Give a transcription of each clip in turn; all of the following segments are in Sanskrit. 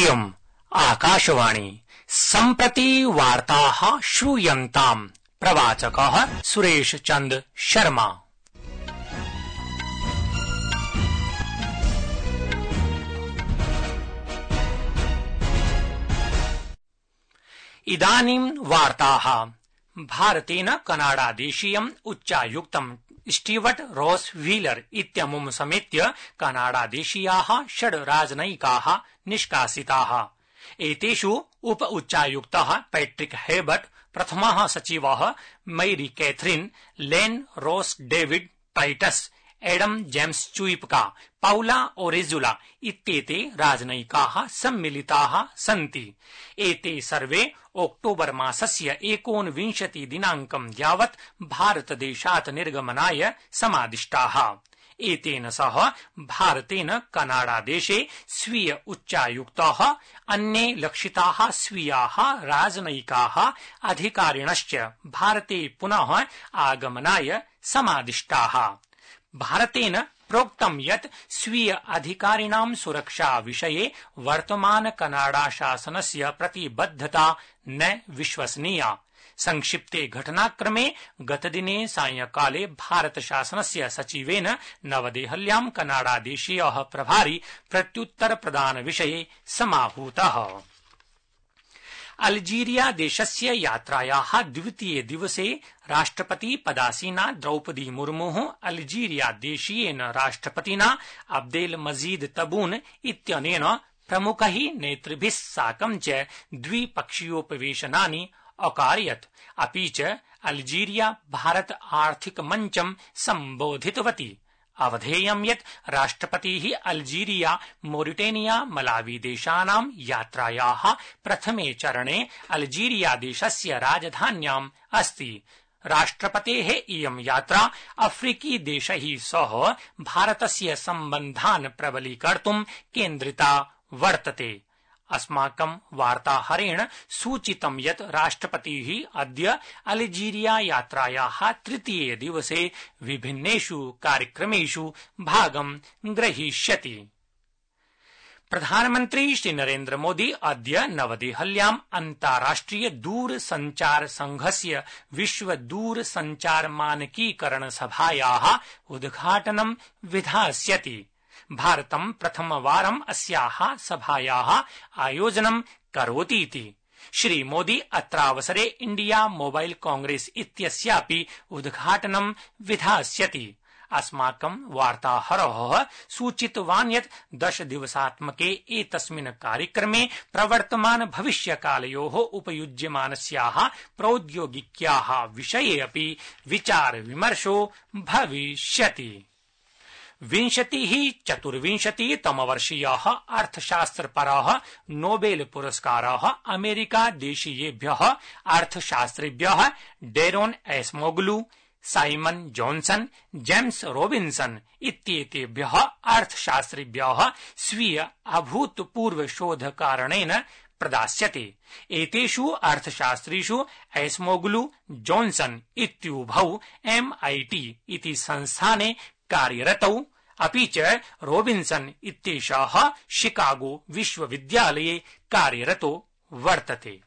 इयम् आकाशवाणी सम्प्रति वार्ताः श्रूयन्ताम्। प्रवाचकः सुरेश चंद शर्मा। इदानीं वार्ताः। भारतेन कनाडादेशीयम् उच्चायुक्तम् स्टीवर्ट् रोस् व्हीलर इत्यमुम् समेत्य कनाडादेशीयाः 6 राजनयिकाः निष्कासिताः। एतेषु उप उच्चायुक्तः पैट्रिक हेबर्ट, प्रथमः सचिवः Mary Catherine, Lane Ross David Titus, Adam James Chuipka, Paula Orejuela इत्येते राजनयिकाः सम्मिलिताः सन्ति। एते सर्वे अक्टोबर मासस्य 29 दिनाङ्कं यावत् भारतदेशात् निर्गमनाय समादिष्टाः। एतेन सह भारतेन कनाडादेशे स्वीय उच्चायुक्ताः, अन्ये लक्षिताः स्वीयाः राजनयिकाः अधिकारिणश्च भारते पुनः आगमनाय समादिष्टाः। भारतेन प्रोक्तं यत् स्वीय अधिकारिणां सुरक्षा विषये वर्तमान कनाडा शासनस्य प्रतिबद्धता न विश्वसनीया। संक्षिप्ते घटनाक्रमे गतदिने सायंकाले भारत शासनस्य सचिवेन नवदेहल्यां कनाडादेशीयः प्रभारी प्रत्युत्तर प्रदान विषये समाहूतः। अल्जीरिया देशस्य यात्रायाः द्वितीये दिवसे राष्ट्रपति पदासीना द्रौपदी मुर्मुः अल्जीरिया देशीयेन राष्ट्रपतिना अब्देल मजीद तबून इत्यनेन प्रमुखैः नेतृभिः साकं च द्विपक्षीयोपवेशनानि अकारयत्। अपि च अल्जीरिया भारत आर्थिक मञ्चं सम्बोधितवती। अवधेयं यत् राष्ट्रपतिः अल्जीरिया मोरिटेनिया मलावी देशानां यात्रायाः प्रथमे चरणे अल्जीरिया देशस्य राजधान्याम् अस्ति। राष्ट्रपतेः इयं यात्रा अफ्रीकी देशैः सह भारतस्य सम्बन्धान् प्रबलीकर्तुं केन्द्रिता वर्तते। अस्माकं वार्ताहरेण सूचितं यत् राष्ट्रपतिः अद्य अल्जीरिया यात्रायाः तृतीये दिवसे विभिन्नेषु कार्यक्रमेषु भागं ग्रहीष्यति। प्रधानमन्त्री श्री नरेन्द्र मोदी अद्य नवदेहल्याम् अन्ताराष्ट्रिय दूरसञ्चार संघस्य विश्व दूरसञ्चार मानकीकरण सभायाः उद्घाटनं विधास्यति। भारतं प्रथमवारम् अस्याः सभायाः आयोजनं करोतीति श्री मोदी अत्रावसरे इंडिया मोबाइल कांग्रेस इत्यस्यापि उद्घाटनं विधास्यति। अस्माकं वार्ताहरः सूचितवान् यत् 10 दिवसात्मके एतस्मिन् कार्यक्रमे प्रवर्तमान भविष्यकालयोः उपयुज्यमानस्याः प्रौद्योगिक्याः विषये अपि विचार विमर्शो भविष्यति। 24तमवर्षीयः अर्थशास्त्रपरः नोबेल पुरस्कारः अमेरिका देशीयेभ्यः अर्थशास्त्रिभ्यः Daron Acemoglu, Simon Johnson, James Robinson इत्येतेभ्यः अर्थशास्त्रिभ्यः स्वीय अभूतपूर्व शोधकारणेन प्रदास्यते। एतेषु अर्थशास्त्रिषु एस्मोग्लू, जॉनसन इत्युभौ MIT इति संस्थाने कार्यरतौ, अपि च रॉबिन्सन इत्येषः शिकागो विश्वविद्यालये कार्यरतो वर्तते।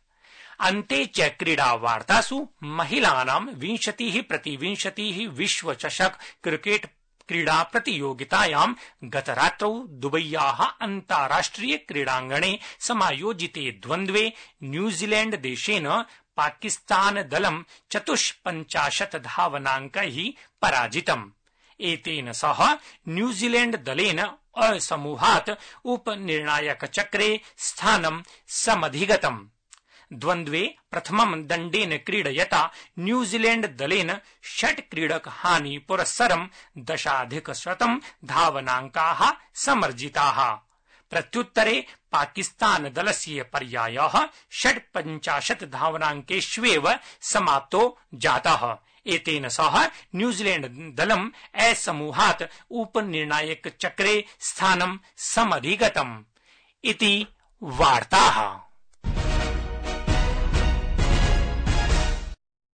अन्ते च क्रीडा वार्तासु महिलानां 20x20 विश्वचषक क्रिकेट क्रीडा प्रतियोगितायां गतरात्रौ दुबय्याः अन्ताराष्ट्रिय क्रीडाङ्गणे समायोजिते द्वन्द्वे न्यूजीलैंड देशेन पाकिस्तान दलं 54 धावनाङ्कैः पराजितम्। एतेन सह न्यूजीलैंड दलेन असमूहात् उपनिर्णायकचक्रे स्थानं समधिगतम्। द्वन्द्वे प्रथमं दण्डेन क्रीडयता न्यूजीलैंड दलेन 6 क्रीडकहानि पुरस्सरं 10,100 धावनाङ्काः समर्जिताः। प्रत्युत्तरे पाकिस्तान दलस्य पर्यायः 56 धावनाङ्केष्वेव समाप्तो जातः। एतेन सह न्यूजीलैंड दलम् समूहात् उपनिर्णायकचक्रे स्थानं समधिगतम् इति वार्ताः।